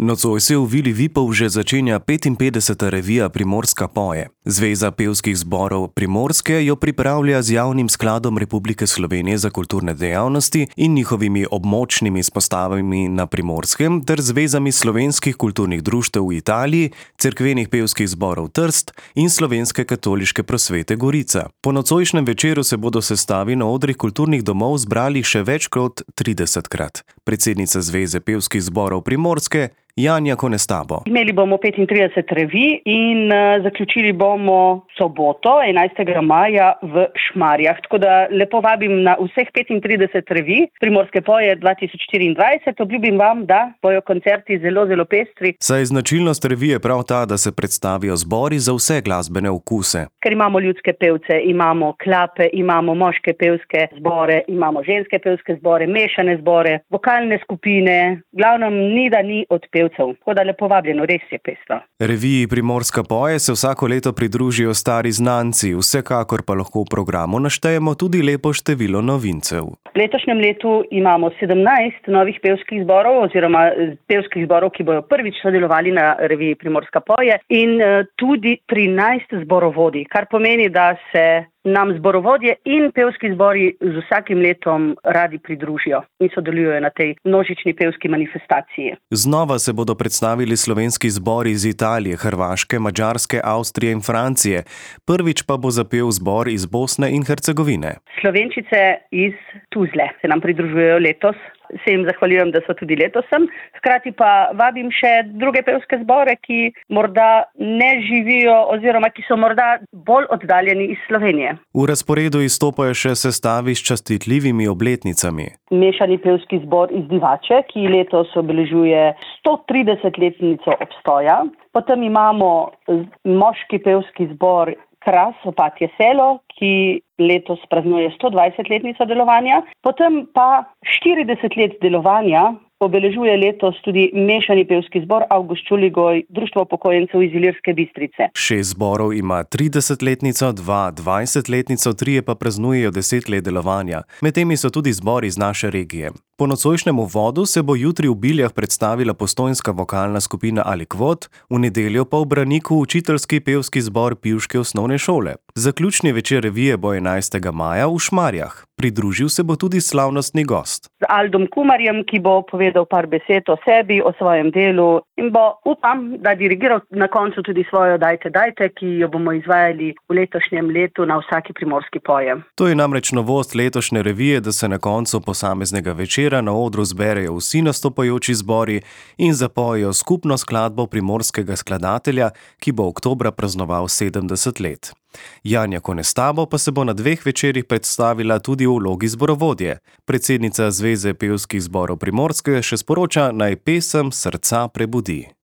Nocoj se v Vili Vipov že začenja 55. revija Primorska poje. Zveza pevskih zborov Primorske jo pripravlja z Javnim skladom Republike Slovenije za kulturne dejavnosti in njihovimi območnimi izpostavami na Primorskem ter zvezami slovenskih kulturnih društev v Italiji, cerkvenih pevskih zborov Trst in Slovenske katoliške prosvete Gorica. Po nocojšnjem večeru se bodo sestavi na odrih kulturnih domov zbrali še več kot 30-krat. Predsednica Zveze pevskih zborov Primorske Janja Konestabo. Imeli bomo 35 revij in zaključili bomo soboto, 11. maja v Šmarjah. Tako da lepo vabim na vseh 35 revij Primorske poje 2024. Obljubim vam, da bojo koncerti zelo, zelo pestri. Saj značilnost revije prav ta, da se predstavijo zbori za vse glasbene okuse. Ker imamo ljudske pevce, imamo klape, imamo moške pevske zbore, imamo ženske pevske zbore, mešane zbore, vokalne skupine, glavnem ni da ni od pevcev. Tako da lepo vabljeno, res je pestro. Reviji Primorska poje se vsako leto pridružijo stari znanci, vsekakor pa lahko v programu naštejemo tudi lepo število novincev. V letošnjem letu imamo 17 novih pevskih zborov oziroma pevskih zborov, ki bojo prvič sodelovali na reviji Primorska poje in tudi 13 zborovodij, kar pomeni, da se nam zborovodje in pevski zbori z vsakim letom radi pridružijo in sodelujejo na tej množični pevski manifestaciji. Znova se bodo predstavili slovenski zbori iz Italije, Hrvaške, Madžarske, Avstrije in Francije. Prvič pa bo zapel zbor iz Bosne in Hercegovine. Slovenčice iz Tuzle se nam pridružujejo letos. Se jim zahvaljujem, da so tudi letos sem. Hkrati pa vabim še druge pevske zbore, ki morda ne živijo oziroma ki so morda bolj oddaljeni iz Slovenije. V razporedu izstopajo še sestavi s častitljivimi obletnicami. Mešani pevski zbor iz Divače, ki letos obeležuje 130-letnico obstoja. Potem imamo moški pevski zbor Kras, Opatje selo, ki letos praznuje 120-letnico delovanja. Potem pa 40 let delovanja obeležuje letos tudi mešani pevski zbor Avgust Čuligoj, Društvo upokojencev iz Ilirske Bistrice. 6 zborov ima 30-letnico, 2 20-letnico, 3 pa praznujejo 10 let delovanja. Med temi so tudi zbori iz naše regije. Po nocojšnjem uvodu se bo jutri v Biljah predstavila postojnska vokalna skupina Alikvot, v nedeljo pa v Braniku učiteljski pevski zbor Pivške osnovne šole. Zaključni večer revije bo 11. maja v Šmarjah. Pridružil se bo tudi slavnostni gost. Z Aldom Kumarjem, ki bo povedal par besed o sebi, o svojem delu in bo, upam, da dirigiral na koncu tudi svojo Dajte, dajte, ki jo bomo izvajali v letošnjem letu na vsaki Primorski poje. To je namreč novost letošnje revije, da se na koncu posameznega večera na odru zberejo vsi nastopajoči zbori in zapojejo skupno skladbo primorskega skladatelja, ki bo oktobra praznoval 70 let. Janja Konestabo pa se bo na 2 večerih predstavila tudi v vlogi zborovodje. Predsednica Zveze pevskih zborov Primorske še sporoča, naj pesem srca prebudi.